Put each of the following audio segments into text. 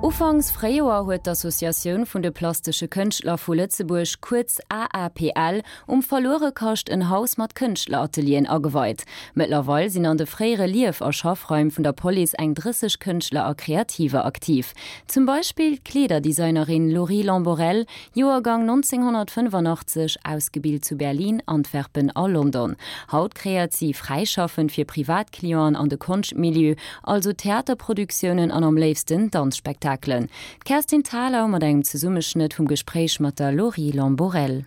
Ufanks Fréijoer huet d'Associatioun vun de plastesche Kënschtler vu Lëtzebuerg, kuerz AAPL, um Verluerekascht en Haus mat Kënschtleratelieren ageweit. Mëttlerweil sinn an de fréiere Lief a Schaffraim vun der Police eng 30 Kënschtler a Kreativer aktiv. Zum Beispill d'Kleederdesignerin Laurie Lamborelle, Joergang 1985, ausgebilt zu Berlin, Antwerpen a London. Haut kreéiert si fräischaffend fir Privatclienten an de Konschtmilieu, also Theaterproduktiounen an am léifsten Danzspektakelen. D'Kerstin Thalau mat engem Zesummeschnëtt vum Gespréich mat der Laurie Lamborelle.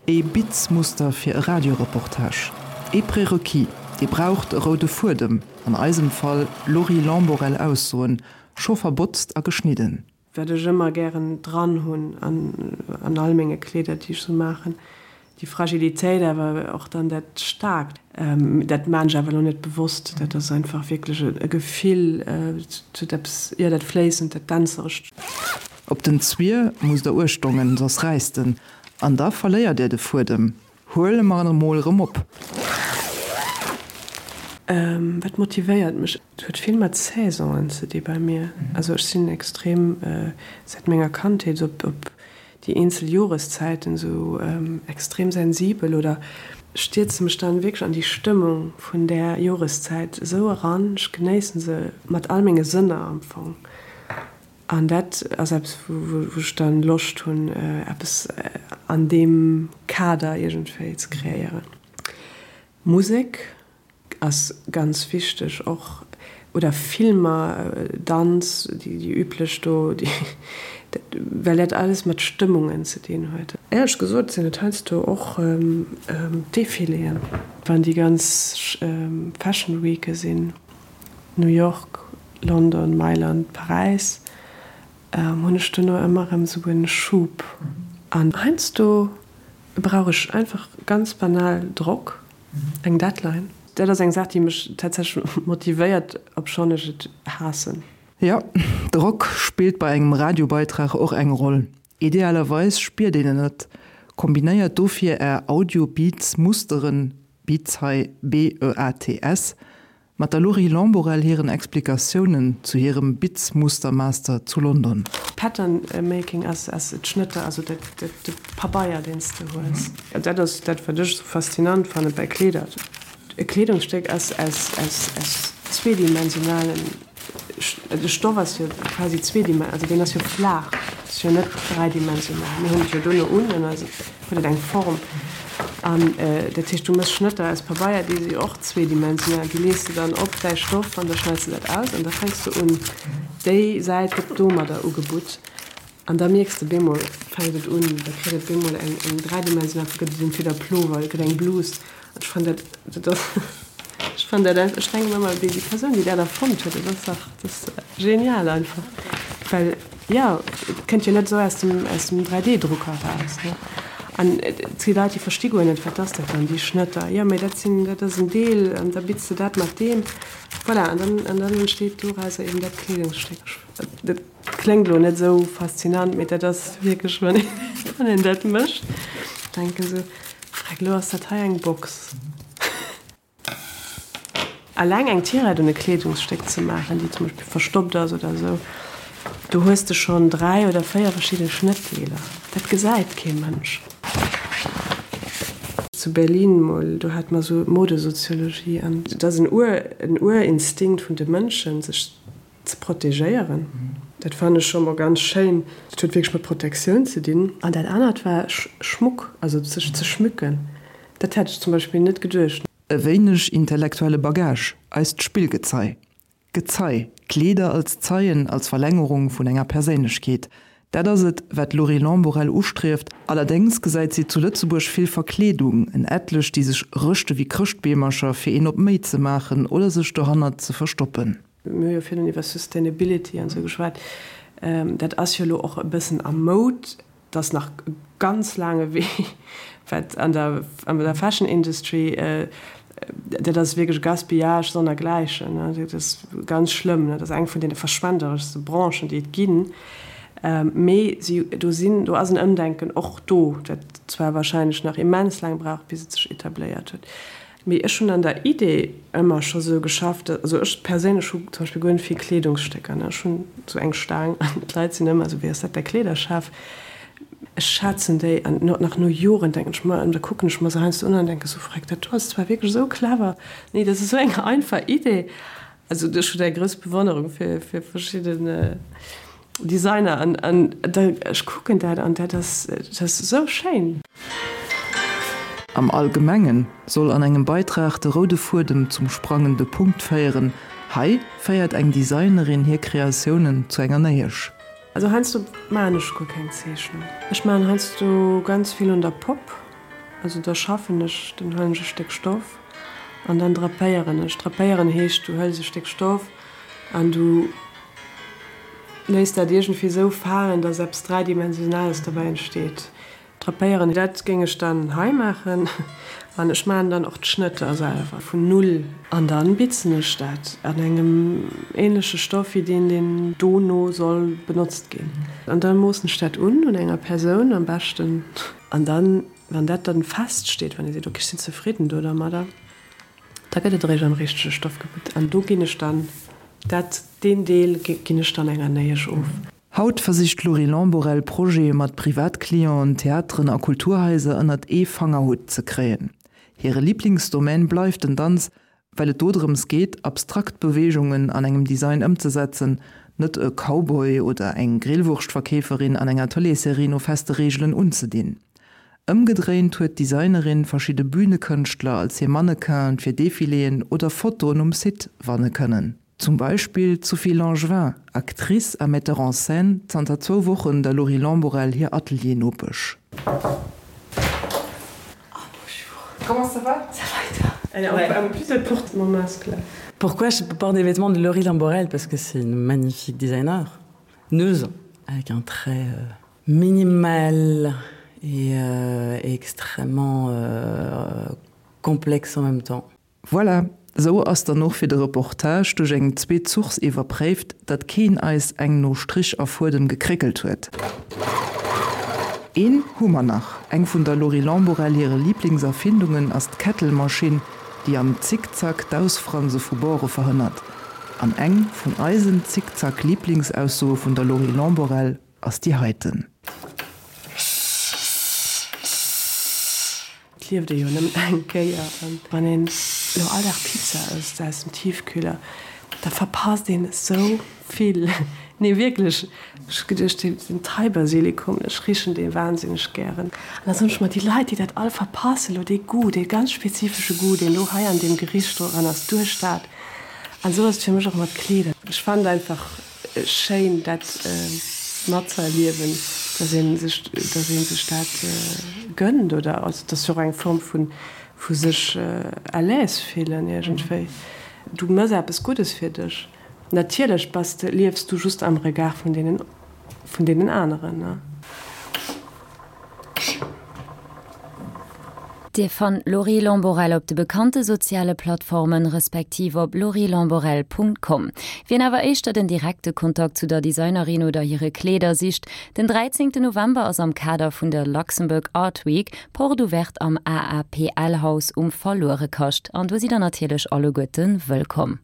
Ee Bitzmuster fir e Radioreportage, ee Prérequis, Dir braucht e roude Fuedem, an eisem Fall Laurie Lamborelle Aussoen, scho verbotzt a geschnidden. Wat ech ëmmer gären dran hunn an all menge Kleeder, déi ech sou maachen, Déi Fragilitéit, awer och dann dat Staarkt, dat maan ech awer elo net bewosst, dat ass einfach wierklech e Gefill, et huet eppes, jo, dat Fléissend, dat Dänzerescht. Op den Zwier musst der uechtdongen, soss räisst en, an da verléiert är de Fuedem. Huele mer en emol erëm op. Wat motivéiert mech? Et huet vill mat Saisonen ze di bei mir. Also ech sinn extrem säit menger Kandheet op déi eenzel Joreszäiten esou extrem sensibel oder stierze mech dann wierklech an déi Stëmmung vun där Joreszäit esou eran. Ech genéissen se mat all menge Sënner am Fong an dat ass eppes wou ech dann Loscht hunn eppes an deem Kader iergendwéi ze kreéieren. Musek Ass ganz wichteg och, oder Filmer, Danz, déi üblech do, well dat alles mat Stëmmungen ze dinn huet. Éierlech gesot sinn et heiansdo och Defiléen, wann déi ganz Fashion Weeke sinn, New York, London, Mailand, Paräis, hunn ech dono ëmmer erëm esou e Schub. An heiansdo brauch ech einfach ganz banal Drock. Eng Deadline, dat ass eng Saach, déi mech tatsächlech motivéiert, obschonn ech et haassen. Jo, Drock spillt bei engem Radiobeitrag och eng Roll. Idealerweis spiert een en net. Kombinéiert dofir är Audio-Beats Musteren, Beats hei B-E-A-T-S, Mat der Laurie Lamborelle hiren Explikatiounen zu hirem Bitzmustermaster zu London. Pattern making ass d'Schnëtter, also de Pabeier deen s de hues. Dat ass dat wat ech esou faszinant fanne bei Kleeder. E Kleedungsstéck ass aus zweedimensionalen, de Stoff ass jo quasi zweedimensional, also deen ass jo flaach, ass jo net dräidimensional. Mir hunn et jo dono un an eis huet et eng Form. An dat heescht, du méchs Schnëtter aus Pabeier, déi si och zweedimensional, déi lees de dann op däi Stoff an da schneits de dat aus an da fänks de un, déi Säit gëtt domadder ugebutt an da mierks de, bemol fänkt et un, da kritt et bemol eng eng dräidimensional, gëtt et entweder Plover, et gëtt eng Blus. Ech fannen dat, dat ass, ech fannen dat einfach, ech denken ëmmer, déi Persoun, déi dat erfonnt huet, dat ass dach, dat ass genial einfach, well, jo, et kënnt jo net esou aus dem, aus dem 3D-Drucker eraus, ne. An et si Leit, déi versti guer net, wat ass dat dann, déi Schnëtter, jo, mee dat sinn, dat ass en Deel an da bitz de dat mat deem, voilà, an dann, an dann entsteet dorauser eben dat Kleedungsstéck. Dat kléngt elo net esou faszinant, mee dat ass wierklech, wann een, wann een dat mécht, denken esou, Freck, elo ass dat hei eng Box. Alleng eng Tirette un e Kleedungsstéck ze maachen, déi zum Beispill verstoppt ass oder esou, do hues de schonn 3 oder 4 verschidde Schnëttdeeler. Dat gesäit kee Mënsch. Zu Berlin mol, do hate mer esou Modesoziologie an et ass en Ur, en Urinstinkt vun de Mënschen, sech ze protegéieren. Dat fannen ech scho mol ganz schéin. Dat huet wierklech mat Protektioun ze dinn. An dat anert war Schmuck, also sech ze schmücken. Dat hätt ech zum Beispill net geduecht. E wéineg intellektuelle Bagage, eist Spillgezei. Gezei, Kleeder als Zeien, als Verlängerung vun enger Perséinlechkeet, dat ass et, wat d'Laurie Lamborelle ustrieft. Allerdéngs gesäit si zu Lëtzebuerg vill Verkleedung, en etlech, déi sech rëschte wéi Chrëschtbeemercher, fir een op méi ze maachen oder sech dohannert ze verstoppen. Mir hu jo virun iwwer Sustainability an esou geschwat. Dat ass jo elo och e bëssen a Moud. Et ass nach e ganz laange Wee, wat an der, an der Fashion Industry, dat ass wierklech Gaspillage sonnergläichen. Dat ass ganz schlëmm. Dat ass eng vun deene verschwendereschste Branchen, déi et ginn. Mee si, do sinn, do ass en Ëmdenken och do, dat zwar wahrscheinlech nach immens laang brauch, bis et sech etabléiert huet. Mee ech hunn an der Idee ëmmer scho sou geschafft, also ech perséinlech hu zum Beispill guer net vill Kleedungsstécker, ne, ech hunn sou eng Staang an d'Leit sinn ëmmer sou, wéi ass dat däi Kleederschaf? Ech schätzen déi an nach no Joren denken ech mer, an da kucken ech mer se heiansdo un an denke sou, Freck, dat do ass zwar wierklech esou clever, nee, dat ass esou eng einfach Idee. Also ech hunn eng grouss Bewonnerung fir verschidden Designer an an da ech kucken dat an dat ass dat ass esou schéin. Am Allgemengen soll an engem Beitrag de roude Fuedem zum sprangende Punkt féieren. Hei féiert eng Designerin hir Kreatiounen zu enger Néiesch. Also heiansdo maachen ech guer keng Zeechnung. Ech maachen heiansdo ganz vill un der Popp. Also da schaffen ech, dann huelen ech e Stéck Stoff an dann drapéieren ech. Drapéieren heescht, du hëls e Stéck Stoff an du léiss dat iergendwéi esou falen, dass eppes Dräidimensionales dobäi entsteet. Drapéieren, dat géing ech dann hei maachen an ech maachen dann och d'Schnëtter selwer vun Null an dann bitzen ech dat an engem ähnleche Stoff wéi deen, deen dono soll benotzt ginn. An da moossen ech dat un, un enger Persoun am beschten an dann, wann dat dann fest steet, wann ee seet, ok, ech sinn zefridden do dermadder, da gëtt et eréischt am richtege Stoff gebitzt an do ginn ech dann dat, deen Deel ginn ech dann enger Néiesch of. Haut versicht d'Laurie Lamborelle Projete mat Privatclienten, Theateren a Kulturhaiser ënnert ee Fangerhutt ze kréien. Hire Liblingsdomaine bleift den Danz, well et do drëms geet, abstrakt Beweegungen an engem Design ëmzesetzen, net e Cowboy oder eng Grillwurschtverkeeferin an enger Tëleesserie no feste Reegelen unzedinn. Ëmgedréint huet d'Designerin verschidde Bünekënschtler als hir Mannequinen fir Defiléen oder Fotoen um Site wanne kënnen. Zum Beispill d'Sophie Langevin, Actrice a Metteur en scène, zanter zwou Wochen der Laurie Lamborelle hir Atelier-Nopesch. Oh bonjour. Comment ça va? Ça va et toi? Elle est en plus elle porte mon masque là. Pourquoi je porte des vêtements de Laurie Lamborelle? Parce que c'est une magnifique designer, neuse, avec un trait euh, minimal et, euh, et extrêmement euh, complexe en même temps. Voilà, sou ass dann och fir de Reportage duerch eng zweet Source iwwerpréift, datt keen eis eng no Strich a Fuedem gekréckelt huet. Een hu mer nach, Eng vun der Laurie Lamborelle hire Liblingserfindungen ass d'Kettelmaschinn, déi am Zickzack d'Ausfranse vu Bore verhënnert. An eng vun eisen Zickzack-Liblingsaussoe vun der Laurie Lamborelle ass déi heiten. Et lieft ee jo nëmmen eng Kéier an wann een elo all Dag Pizza ësst aus dem Tiefkühler, da verpasst een esou vill. Nee wierklech, ech hu geduecht, den Thai-Basilikum, ech richen dee wahnsinneg gären. An da soen ech mer, déi Leit, déi dat all verpassen elo, dee Goût, dee ganz spezifesche Goût, deen do hei an deem Gericht do dran ass, duerch dat. An esou ass et fir mech och mat Kleeder. Ech fannen einfach Schéin dat matzeerliewen, dass ee sech, dass ee sech dat gënnt oder also et ass jo och eng Form vu vu sech à l'aise fillen iergendwéi. Du mëss eppes Guddes fir dech. Natierlech bass de, liefs du just am Regard vun deenen vun deenen aneren, ne. Dir fannt d'Laurie Lamborelle op de bekannte soziale Plattformen, respektiv op laurielamborelle.com. Wien awer éischter den direkte Kontakt zu der Designerin oder hire Kleeder sicht, den 13 November ass am Kader vun der Luxembourg Art Week Porte Ouverte am AAPL Haus um Verluerekascht an do sidd der natierlech alleguerte wëllkomm.